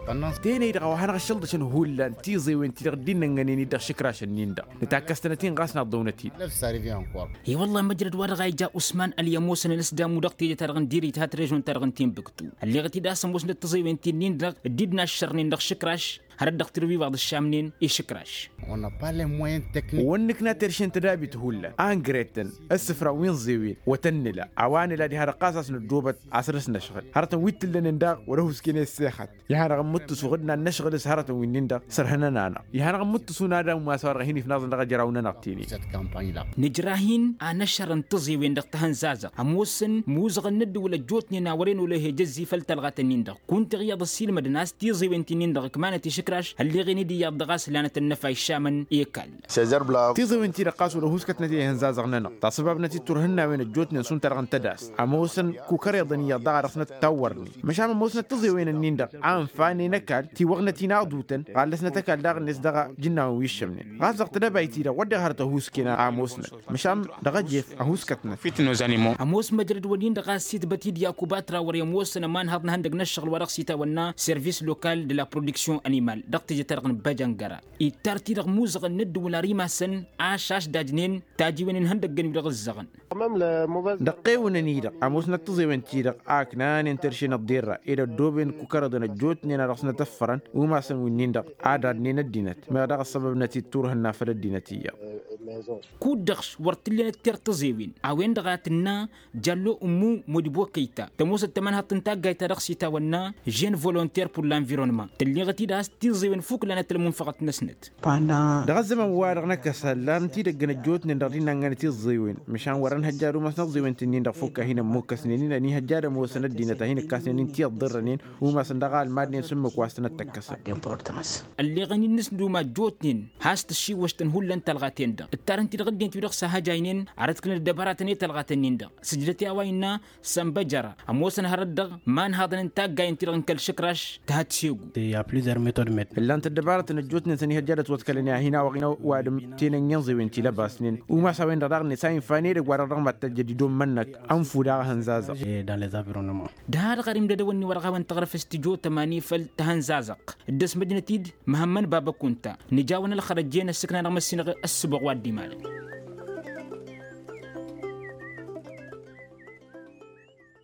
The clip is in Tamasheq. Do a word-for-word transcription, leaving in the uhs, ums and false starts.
Tenăy-dăɣ a-wa hanăɣ-ăššălḍăšăn hullan tiẓewen-ti-dăɣ dd-innănnănen-dd dăɣ-išǝkrašăn-in-dăɣ nǝtakkăs-tănăt-in ɣas naḍḍăwnăt-dd. I-wălla-hi măjrăd-wa-dăɣ a ija usman ălyămoosăn ănăsdamu dăɣ-teje-ta-dăɣ n-diri-ta ha tărežont-ta-dăɣ n-tinbǝktu. Ălleɣăt-dd a-s ămoosnăt tiẓewen-ti-nin-dăɣ dd-inaššărnen dăɣ-išǝkraš hărăt dăɣ-tirǝwi wa dd-ăššamnen išǝkraš. Wăr nǝkna terše n-tădabit hullan a ǝngret-tăn ǝssǝfran wi n-ẓewen wăr tăn-nǝla a-wa nǝla diha-dăɣ ɣas a-s năddoobăt a-s dăr-s năšɣǝl hărătăn wi t-ǝllănen daɣ wăr-ăhuusken i-ăssexăt. Iha-dăɣ ǝmmǝttǝsu ɣǝd n-ad-năšɣǝl s-hărătăn wi-nin-dăɣ sărhǝnăn-anăɣ. Iha-dăɣ ǝmmǝttǝsu n-ad-amumas a-wa-dăɣ a hin-ifnaẓăn dăɣ-ajraw-nănăɣ tinin. Nǝjrah-in a năšăr n-tiẓewen dăɣ-tihănzazăɣt ămoosăn imuzăɣăn n-ǝddǝwǝl ăjjootnen a wăren olăh i-jăzzi făll-talɣat-nin-dăɣ kunta iyyăḍ ăssiilmădăn a-s tiẓewen ti-nin-dăɣ ǝkmanăt išǝkraš. Ălleɣen-dd iyyăḍ dăɣ-a-s lanăt ănnăfa išamăn i-kall. Tiẓewen-ti-dăɣ ɣas wăr-ăhuuskătnăt i-ihănzazăɣ-nănăɣ tasǝbabnăt-dd turhǝnnawen ăjjootnen šund-ta-dăɣ n-tădast. Ămoosăn kukăreḍăn iyyăḍ daɣ a dăɣ-snăt tawwărnen măšan ămoosnăt tiẓewen-nin-dăɣ a ǝnfanen ăkall tiwăɣnăt-in aḍutăn ɣallăsnăt ăkall daɣ-net dăɣ-ijǝnnawăn wi ǝššămnen. Ɣas dăɣ-tedăbayt-i-dăɣ wăr deɣ hărăt ăhuusken a ămoosnăt măšan dăɣ-ejef ăhuuskătnăt. Ămoos măjrăd-wăn-in-dăɣ a ăssitbăt-dd yakuba trawăr i-ămoosăn ămanhăḍ n-ihăndăg n-ăššăɣǝl wa dăɣ-s itawănna service local de la production animal dăɣ-teje-ta-dăɣ n-băjăngăra. Ittar-t-i-dăɣ imuzăɣăn n-ǝddǝwǝl ar imasăn ašaš dajnen tajiwen n-ihăndăgg-ǝnwi-dăɣ ǝzzăɣăn. Dăɣ-tewǝnăn-i-dăɣ ămoosnăt tiẓewen-ti-dăɣ a ǝknanen terše n-ăḍḍerra ed ăddooben kukărăḍăn ăjjootnen a dăɣ-snăt ăffărăn umasăn wi-nin-dăɣ ad-adnen ăddinăt meɣ daɣ ăssăbăbnăt-dd turhǝnna făll-ăddinăt iyyăḍ. Kud-dăɣ wăr t-ǝllănăt ter tiẓewen a-wen-dăɣ a tǝnna jallo ǝmmu modibokăyta tămoosăt tămănhaḍt n-taggayt ta dăɣ-s itawănna žen volonter pur l-anvirănman tǝlleɣăt-dd a-s tiẓewen fukk lanăt ălmunfăɣăt-năsnăt. Dăɣ-ăzzăman-wa-dăɣ n-ăkkăs ăllan tidăggăn ăjjootnen dăɣ-dinna ǝnnănăt iẓẓewen măšan wăr-ănhăjja ad-umasăn iẓẓewen-ti-nin-dăɣ fukk a hin-ămmukkăsnen-in ănihăjja ad-ămoosăn ăddinăt a hin-ǝkkasnen-in ti ăḍḍărrănen umasăn dăɣ-almadnen s-ǝmmǝk wa s-tăn-ăttăkkăsăn. Ălleɣăn-in n-asduma ăjjootnen has-tǝššiwwăštăn hullan talɣaten-dăɣ ǝttarăn-t-dd ɣǝddent-wi-dăɣ s-ahăjaynen arăt-kǝlăn ăddăbăratăn i-talɣaten-nin-dăɣ sǝjdăt i-a-wa innă sănbăjăra ămoosăn hărăt-dăɣ imanhaḍăn n-taggayen-ti-dăɣ n-kăl-išǝkraš. Tăhăt segu. Ǝllan-t ăddăbarătăn ăjjootnen s-ănihăjja ad-ătwăḍkălăn i-ad-hin-awăɣ-in ăwadǝm tenănn'-i ănẓewen tilăbasnen umas a-wen-dăɣ daɣ-net a infa n-edăgg wa-dăɣ dăɣ-mad-tăjjăd ido n-imănnăk ănfu daɣ ehănzazăɣ. Dăɣ-a-dăɣ ar imdădăwăn-ni wăr-ăɣawăn taɣrǝfest tijotăma n-efăl tăhănzazăɣt dd-ăsmăjnăt-dd măhămmăn baba kunta nǝjawăn ălxărăjjen ăssǝkna dăɣ-măssinăɣ ăssǝboɣ wa dd-imalăn.